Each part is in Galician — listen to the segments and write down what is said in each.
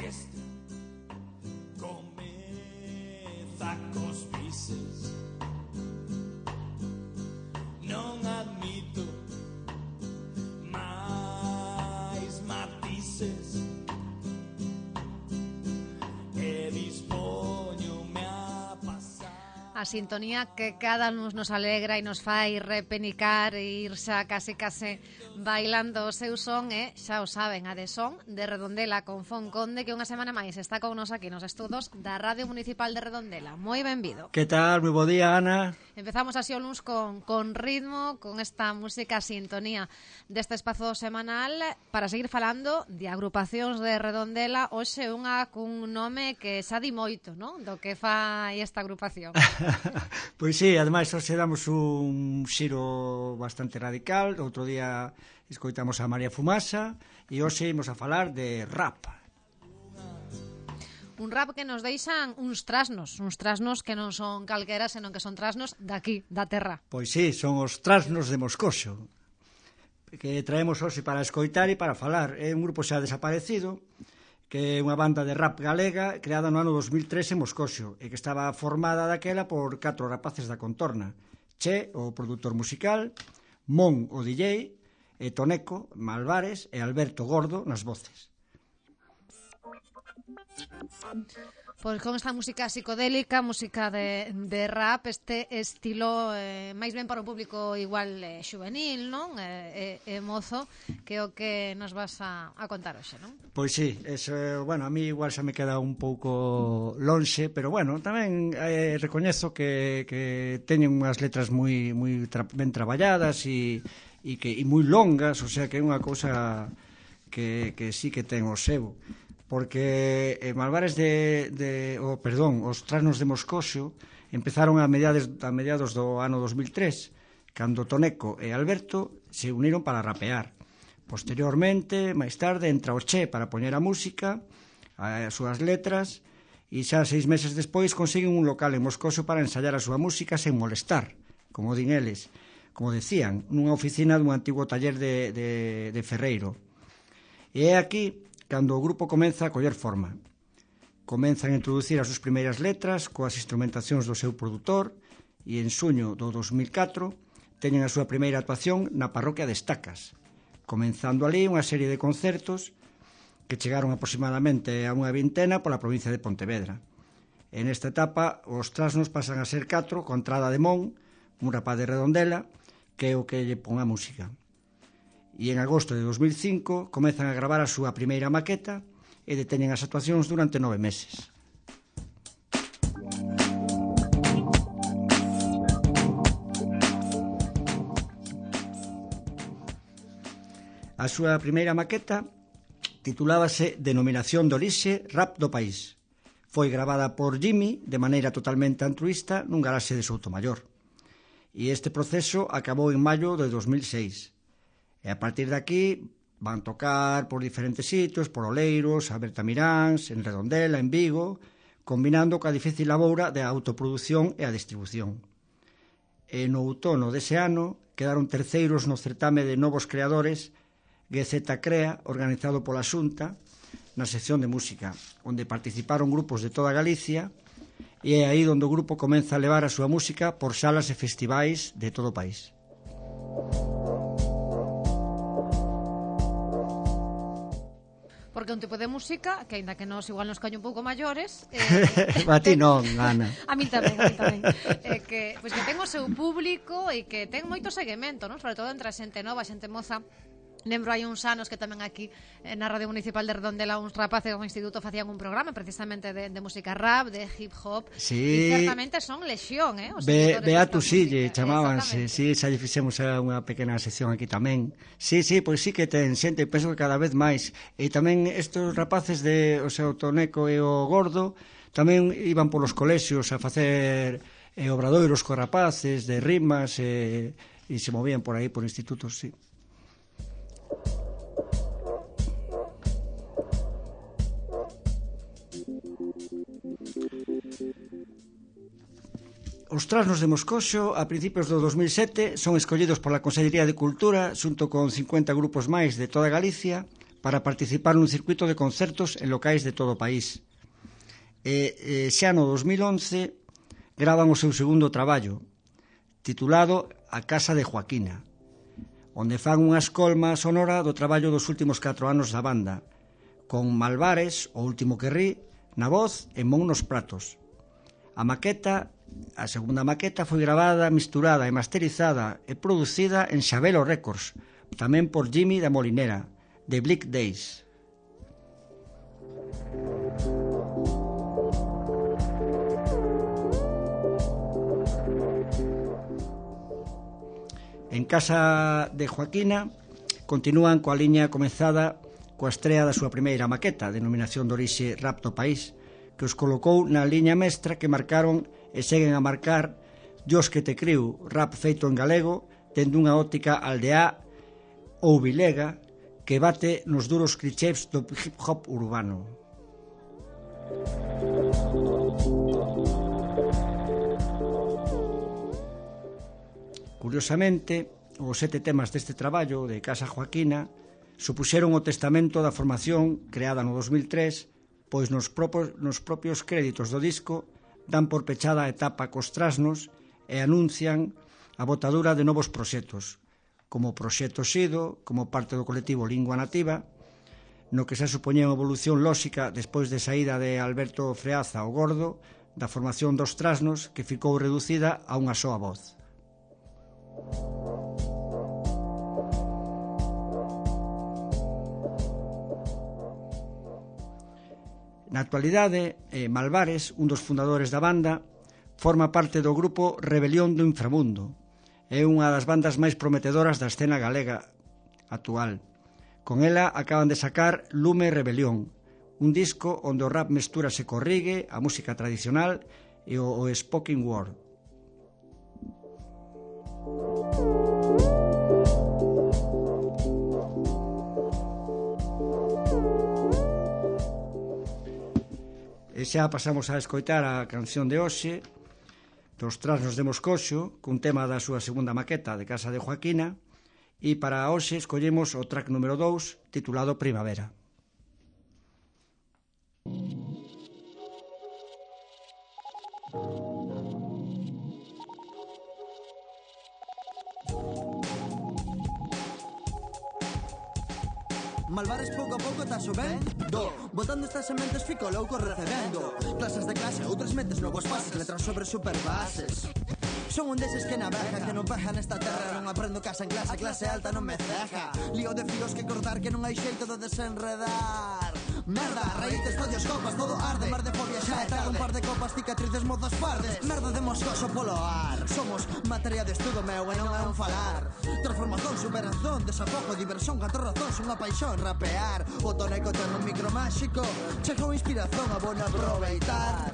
festa comeza cos bises. Non admito máis matices e dispoñome a pasar. A sintonía que cada nos alegra e nos fai repenicar e ir xa case bailando o seu son e, xa o saben, a de son de Redondela con Fon Conde, que unha semana máis está con nos aquí nos estudos da Radio Municipal de Redondela. Moi benvido. Que tal? Moi bo día, Ana. Empezamos así o luns con ritmo, con esta música sintonía deste espazo semanal para seguir falando de agrupacións de Redondela. Hoxe unha cun nome que xa di moito, non? Do que fai esta agrupación. Pois sí, ademais hoxe damos un xiro bastante radical. Outro día escoitamos a María Fumasa e hoxe imos a falar de rap. Un rap que nos deixan uns trasnos que non son calquera, senón que son trasnos daqui, da terra. Pois sí, son os trasnos de Moscoso, que traemos hoxe para escoitar e para falar. É un grupo xa desaparecido, que é unha banda de rap galega creada no ano 2003 en Moscoso e que estaba formada daquela por 4 rapaces da contorna: Che, o produtor musical, Mon, o DJ, e Toneco, Malvares e Alberto Gordo nas voces. Pois con esta música psicodélica, música de rap, este estilo máis ben para o público igual xuvenil, non? Mozo, que é o que nos vas a contar hoxe, non? Pois sí, eso, bueno, a mí igual xa me queda un pouco lonxe, pero bueno, tamén recoñezo que teñen unhas letras moi ben traballadas e moi longas, o sea que é unha cousa que sí que ten o seu. Porque Malvares os Trasnos de Moscoso empezaron a mediados do ano 2003, cando Toneco e Alberto se uniron para rapear. Posteriormente, máis tarde, entra o Che para poñer a música, as súas letras, e xa 6 meses despois consiguen un local en Moscoso para ensayar a súa música sen molestar, como din eles, como decían, nunha oficina dun antigo taller de ferreiro. E é aquí cando o grupo comeza a coller forma. Comenzan a introducir as súas primeiras letras coas instrumentacións do seu produtor e en xuño do 2004 teñen a súa primeira actuación na parroquia de Estacas, comenzando ali unha serie de concertos que chegaron aproximadamente a unha vintena pola provincia de Pontevedra. En esta etapa, os Trasnos pasan a ser 4 con Trada de Mon, un rapaz de Redondela, que é o que lle pon a música. E en agosto de 2005 comezan a gravar a súa primeira maqueta e deteñen as actuacións durante 9 meses. A súa primeira maqueta titulábase Denominación de Orixe Rap do País. Foi gravada por Jimmy de maneira totalmente altruista nun garaxe de Soutomaior. E este proceso acabou en maio de 2006. E a partir de aquí van tocar por diferentes sitios, por Oleiros, a Bertamiráns, en Redondela, en Vigo, combinando coa difícil laboura de autoproducción e a distribución. E no outono dese ano quedaron terceiros no certame de novos creadores GZ Crea, organizado pola Xunta, na sección de música, onde participaron grupos de toda Galicia, e é aí onde o grupo comeza a levar a súa música por salas e festivais de todo o país. Porque un tipo de música que, aínda que nos igual nos caño un pouco maiores, a ti non, Ana. A mí tamén. Que ten o seu público e que ten moito seguimento, non? Sobre todo entre a xente nova, a xente moza. Lembro hai uns anos que tamén aquí na Radio Municipal de Redondela uns rapaces do instituto facían un programa precisamente de música rap, de hip hop, sí. E certamente son lexión, Beato Sille chamábanse, sí, xa lle fixemos unha pequena sección aquí tamén. Sí, pois sí que ten xente, penso que cada vez máis. E tamén estes rapaces de, o sea, o Toneco e o Gordo tamén iban polos colexios a facer obradoiros co rapaces de rimas e se movían por aí por institutos, sí. Os Trasnos de Moscoso, a principios do 2007, son escollidos pola Consellería de Cultura xunto con 50 grupos máis de toda Galicia para participar nun circuito de concertos en locais de todo o país. Xa no 2011 gravan o seu segundo traballo, titulado A Casa de Joaquina, onde fan unha escolma sonora do traballo dos últimos 4 anos da banda, con Malvares, o último que rí, na voz e Mon nos pratos. A segunda maqueta foi gravada, misturada e masterizada e producida en Xabelo Records, tamén por Jimmy da Molinera, de Bleak Days. En Casa de Joaquina continúan coa liña comezada coa estrea da súa primeira maqueta, denominación de orixe Rapto País, que os colocou na liña mestra que marcaron e seguen a marcar Dios que te criu, rap feito en galego, tendo unha óptica aldea ou vilega que bate nos duros clichés do hip hop urbano. Curiosamente, os 7 temas deste traballo de Casa Joaquina supuxeron o testamento da formación creada no 2003, pois nos propios créditos do disco dan por pechada a etapa cos trasnos e anuncian a botadura de novos proxectos, como Proxecto Sido, como parte do colectivo Lingua Nativa, no que se supoñía unha evolución lóxica despois de saída de Alberto Freaza o Gordo da formación dos trasnos, que ficou reducida a unha soa voz. Na actualidade, Malvares, un dos fundadores da banda, forma parte do grupo Rebelión do Inframundo. É unha das bandas máis prometedoras da escena galega actual. Con ela acaban de sacar Lume Rebelión, un disco onde o rap mestúrase co reggae, a música tradicional e o spoken word. E xa pasamos a escoitar a canción de hoxe dos Trasnos de Moscoxo, cun tema da súa segunda maqueta de Casa de Joaquina, e para hoxe escollemos o track número 2 titulado Primavera. Malvares pouco a pouco está xovendo, botando estas sementes fico louco recebendo clases de clase, outras mentes novos pases, letras sobre superbases. Son un deses que navega, que non veja nesta terra. Non aprendo casa en clase, clase alta non me ceja. Lío de filos que cortar, que non hai xeito de desenredar. Merda, raíces, tollos, copas, todo arde. Mar de fobia xa é tarde, un par de copas, cicatrices, mozas pardes. Merda de moscoso polo ar. Somos materia de estudo meu e non é un falar. Transformación, superación, desafogo, diversión, catro razóns, unha paixón, rapear. O toneco ten un micro máxico, chegou inspiración, a bon aproveitar.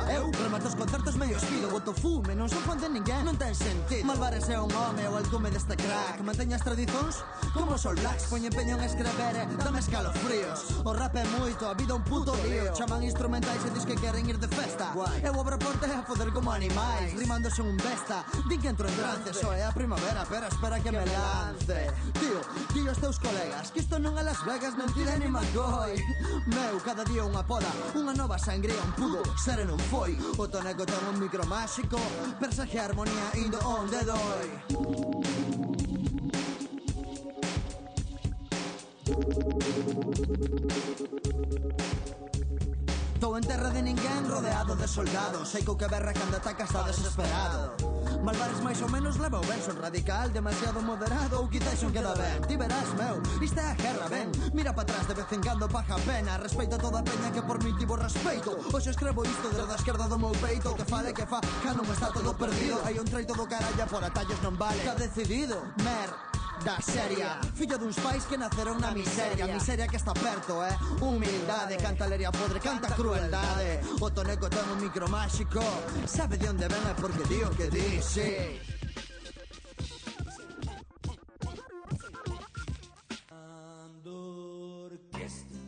Eu remato os concertos medio espido, boto fume, non son fan de ninguén, non ten sentido. Malvares é un home, o alcume deste crack. Manteña as tradicións como os All Blacks. Poño empeño en escrever, dame escalofríos. O rap é moito, a vida un puto lío. Chaman instrumentais e dis que queren ir de festa. Eu abro porta e a foder como animais, rimando son un besta. Din que entro en trance, só é a primavera, pero espera que me lance. Tío, tío os teus colegas, que isto non é Las Vegas, mentira ni McCoy. Meu, cada día unha poda, unha nova sangría, un pudo ser e non foi. O toneco ten un micro máxico, persaxe a armonía indo onde doi. Tô en terra de ninguén, rodeado de soldados. Sei que o que berra cando ataca está desesperado. Malvares máis ou menos leva o ben. Son radical, demasiado moderado, ou quizás non queda ben. Ti verás, meu, isto é a guerra, ben. Mira pa atrás de vez en cando, paja pena. Respeita toda a peña que por mí tivo respeito. Hoxe escrevo isto desde a esquerda do meu peito. Que fale que fa, que non está todo perdido. Hai un treito do caralla, por atallos non vale. Está decidido, da seria, fillo duns pais que naceron na miseria. Miseria que está perto, humildade. Canta leria podre, canta crueldade. O toneco ten un micro máxico, sabe de onde ven é porque di o que di, sí. Orquesta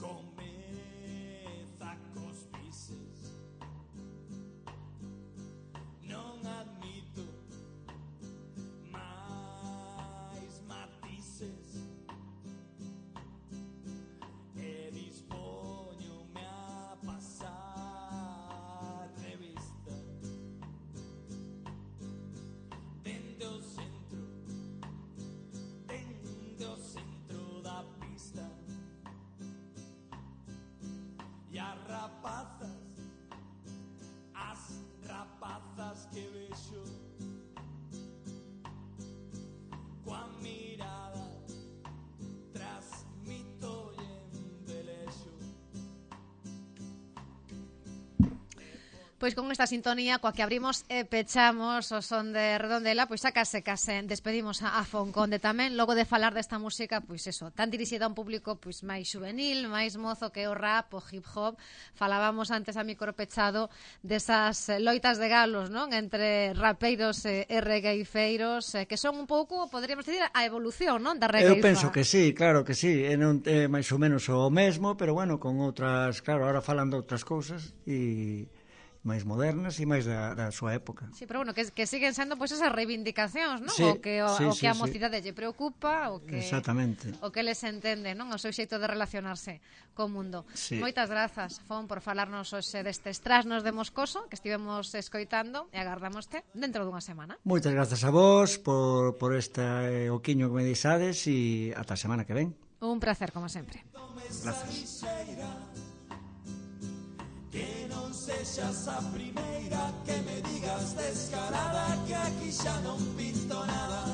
comeza cos bises que vexo coa mirada transmitolle embelexo. Pois con esta sintonía coa que abrimos e pechamos o son de Redondela, pois xa case despedimos a Fonconde tamén, logo de falar desta música, pois eso, tan dirixida a un público pois máis xuvenil, máis mozo que o rap, o hip hop. Falábamos antes a micro pechado desas loitas de galos, non? Entre rapeiros e regueifeiros, que son un pouco, poderíamos decir, a evolución, non? Da regueifa. Eu penso que sí, claro que sí, é máis ou menos o mesmo, pero bueno, con outras, claro, ahora falando outras cousas e máis modernas e máis da súa época. Sí, pero bueno, que siguen sendo pois esas reivindicacións, non? Sí, o que a sí. mocidade lle preocupa, o que Exactamente. O que les entende, non? O seu xeito de relacionarse co mundo. Sí. Moitas grazas, Fon, por falarnos hoxe destes trasnos de Moscoso que estivemos escoitando e agardámoste dentro dunha semana. Moitas grazas a vos por este oquiño que me deixades e ata a semana que ven. Un placer, como sempre. Grazas. Que non sexas a primeira que me digas descarada que aquí xa non pinto nada.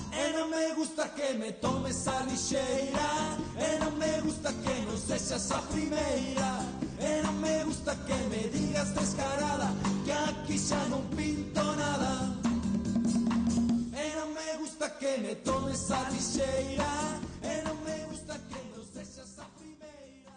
E non me gusta que me tomes a lixeira, e non me gusta que non sexas a primeira, e non me gusta que me digas descarada que aquí xa non pinto nada. E non me gusta que me tomes a lixeira,